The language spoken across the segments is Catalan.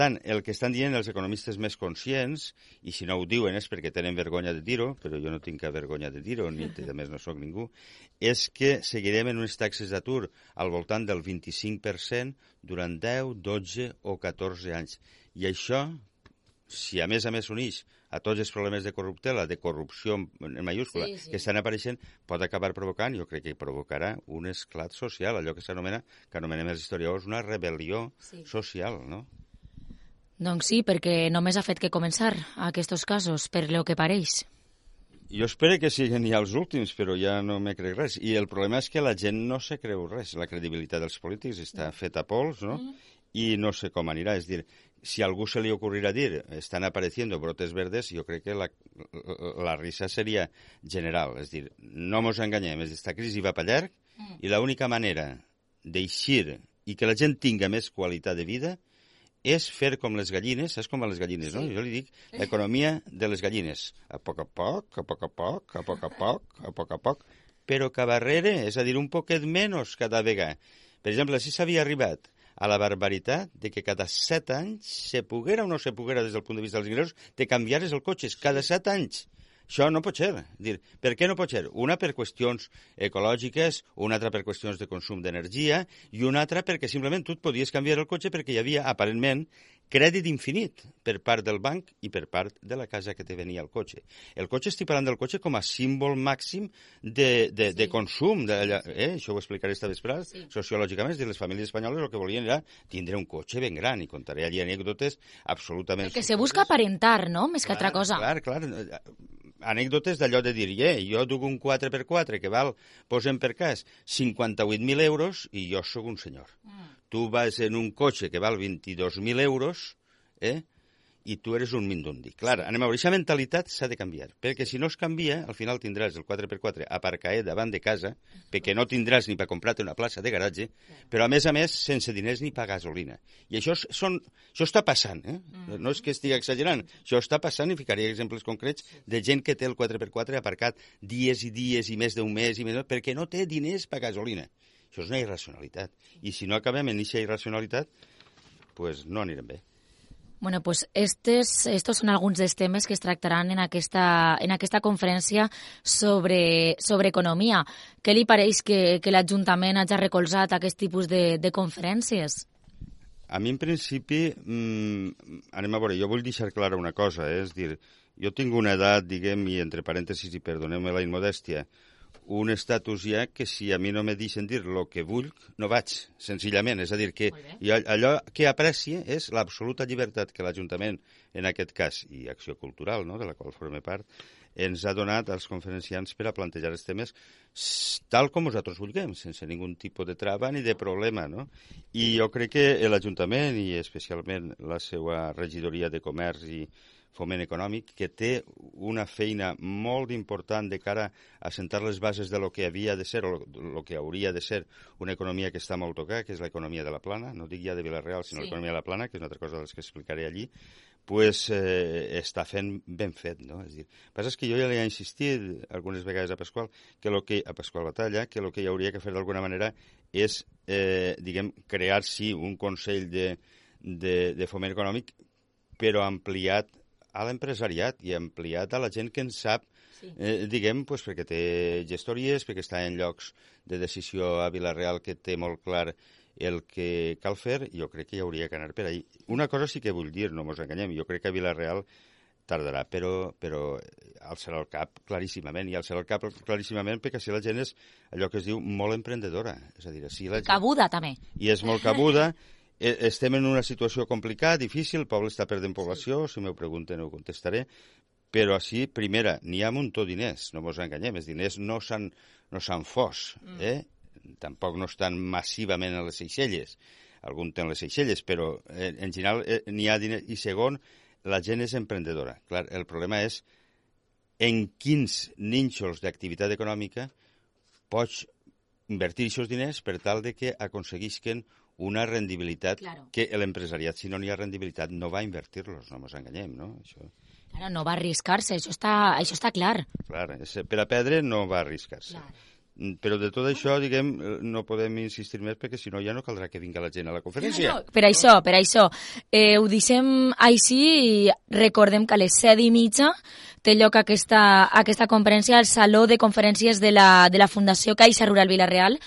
tant, el que estan dient els economistes més conscients, i si no ho diuen és perquè tenen vergonya de dir-ho, però jo no tinc cap vergonya de dir-ho, ni a més no sóc ningú, és que seguirem en unes taxes d'atur al voltant del 25% durant 10, 12 o 14 anys. I això, si a més s'uneix a tots els problemes de corruptela, de corrupció en mayúscula, que estan apareixent, pot acabar provocant, jo crec que provocarà un esclat social, allò que s'anomena, que anomenem els historiadors, una rebel·lió social, no? Doncs sí, perquè només ha fet que començar aquests casos, per lo que pareix. Jo espero que siguin ja els últims, però ja no me crec res. I el problema és que la gent no se creu res. La credibilitat dels polítics està feta a pols, no? I no sé com anirà. És dir, si a algú se li ocorrirà dir estan apareciendo brotes verdes, jo crec que la risa seria general. És dir, no mos enganyem, aquesta crisi va per llarg i l'única manera d'eixir i que la gent tinga més qualitat de vida és fer com les gallines, saps com van les gallines, no? Jo li dic l'economia de les gallines. A poc a poc, a poc a poc, a poc a poc, a poc a poc, però cap darrere, és a dir, un poquet menys cada vegada. Per exemple, si s'havia arribat a la barbaritat de que cada 7 anys se poguera o no se poguera des del punt de vista dels ingressos de canviares el cotxe cada 7 anys. Això no pot ser. Per què no pot ser? Una per qüestions ecològiques, una altra per qüestions de consum d'energia i una altra perquè simplement tu et podies canviar el cotxe perquè hi havia, aparentment, crèdit infinit per part del banc i per part de la casa que te venia el cotxe. El cotxe, estic parlant del cotxe com a símbol màxim de consum. Això ho explicaré esta vesprada. Sociològicament, les famílies espanyoles el que volien era tindre un cotxe ben gran i contaré allí anècdotes absolutament... Que se busca aparentar, no?, més que altra cosa. Clar. Anècdotes d'allò de dir, jo duc un 4x4 que val, posem per cas, 58.000 euros i jo sóc un senyor. Tu vas en un cotxe que val 22.000 euros, i tu eres un mindundi. Clar, anem a veure, aquesta mentalitat s'ha de canviar, perquè si no es canvia, al final tindràs el 4x4 aparcaet davant de casa, perquè no tindràs ni per comprar-te una plaça de garatge, però a més, sense diners ni per gasolina. I això està passant, no és que estigui exagerant, això està passant i ficaré exemples concrets de gent que té el 4x4 aparcat dies i dies i més d'un mes i més, perquè no té diners per gasolina. Això és una irracionalitat. I si no acabem en aquesta irracionalitat, pues no anirem bé. Bueno, pues estos son alguns dels temes que es tractaran en aquesta conferència sobre economia. Què li pareix que l'Ajuntament hagi recolzat aquest tipus de conferències? A mi, en principi, anem a veure, jo vull deixar clara una cosa, és dir, jo tinc una edat, diguem, i entre parèntesis, i perdoneu-me la immodèstia, un estatus ja que si a mi no me deixen dir el que vull, no vaig, senzillament. És a dir, que allò que aprecia és l'absoluta llibertat que l'Ajuntament, en aquest cas, i Acció Cultural, no?, de la qual forme part, ens ha donat als conferenciants per a plantejar els temes tal com nosaltres vulguem, sense ningun tipus de trava ni de problema, no? I jo crec que l'Ajuntament, i especialment la seva regidoria de Comerç i Foment Econòmic, que té una feina molt important de cara a sentar les bases de lo que havia de ser o lo que hauria de ser una economia que està molt tocada, que és l'economia de la Plana, no dic ja de Vila-real, sinó l'economia de la Plana, que és una altra cosa de les que explicaré allí, pues està fent ben fet, no? És dir, el que passa és que jo ja li he insistit algunes vegades a Pasqual Batalla, que el que hi hauria que fer d'alguna manera és, diguem, crear, sí, un Consell de Foment Econòmic, però ampliat a l'empresariat i ampliat a la gent que en sap, diguem, pues, perquè té gestories, perquè està en llocs de decisió a Vila-real que té molt clar el que cal fer, jo crec que hi hauria que anar per ahí. Una cosa sí que vull dir, no mos enganyem, jo crec que a Vila-real tardarà, però alçarà el cap claríssimament, i alçarà el cap claríssimament perquè si la gent és allò que es diu molt emprendedora. És a dir, si la gent... Cabuda, també. I és molt cabuda. Estem en una situació complicada, difícil, el poble està perdent població, si m'ho pregunten ho contestaré, però així, primera, n'hi ha un muntó diners, no mos enganyem, els diners no s'han fos, tampoc no estan massivament a les Seychelles, algun té les Seychelles, però en general n'hi ha diners, i segon, la gent és emprendedora. Clar, el problema és en quins nínxols d'activitat econòmica pots invertir aquests diners per tal de que aconseguisquen una rendibilitat que l'empresariat, si no n'hi ha rendibilitat, no va invertir-los, no ens enganyem, no? Claro, no va arriscar-se, això està clar. Clar, per a perdre no va arriscar-se. Però de tot això, diguem, no podem insistir més perquè si no ja no caldrà que vingui la gent a la conferència. No, per això. Ho deixem així i recordem que a les 7:30 té lloc aquesta conferència al Saló de Conferències de la Fundació Caixa Rural Vila-real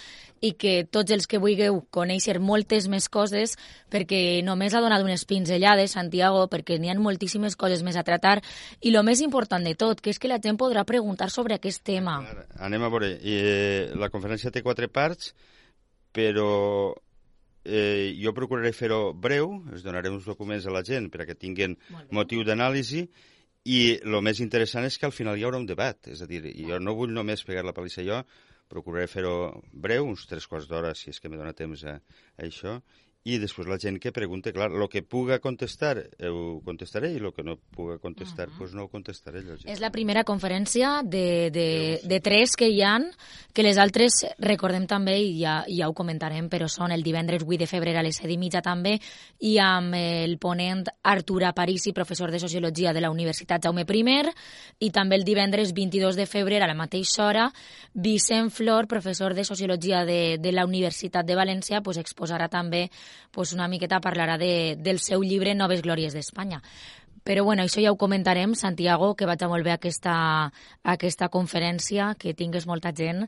i que tots els que vulgueu conèixer moltes més coses, perquè només ha donat unes pinzellades, Santiago, perquè n'hi ha moltíssimes coses més a tractar, i el més important de tot, que és que la gent podrà preguntar sobre aquest tema. Anem a veure, la conferència té 4 parts, però jo procuraré fer-ho breu, es donaré uns documents a la gent perquè tinguin motiu d'anàlisi, i el més interessant és que al final hi haurà un debat, és a dir, jo no vull només pegar la palissa jo, procuraré fer-ho breu, uns 3/4 d'hora, si és que me dona temps a això, i després la gent que pregunte, clar, el que puga contestar ho contestaré i el que no puga contestar doncs no ho contestaré. És la primera conferència de 3 que hi ha, que les altres, recordem també, i ja ho comentarem, però són el divendres 8 de febrer a les 7:30 també, i amb el ponent Artur Aparici, professor de Sociologia de la Universitat Jaume I, i també el divendres 22 de febrer a la mateixa hora, Vicent Flor, professor de Sociologia de la Universitat de València, exposarà també una miqueta, parlarà del seu llibre Noves Glòries d'Espanya. Però bueno, això ja ho comentarem, Santiago, que vaig a molt bé aquesta conferència, que tingues molta gent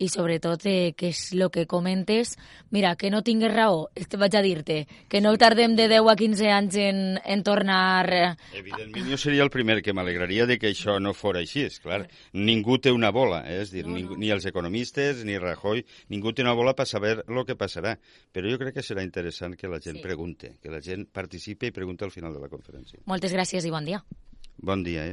i sobretot que és el que comentes. Mira, que no tingues raó, vaig a dir-te, que no tardem de 10 a 15 anys en tornar... Evidentment, jo seria el primer que m'alegraria de que això no fos així, és clar. Ningú té una bola, és dir, ni els economistes, ni Rajoy, ningú té una bola per saber el que passarà. Però jo crec que serà interessant que la gent pregunte, que la gent participi i pregunti al final de la conferència. Moltes gràcies i bon dia. Bon dia,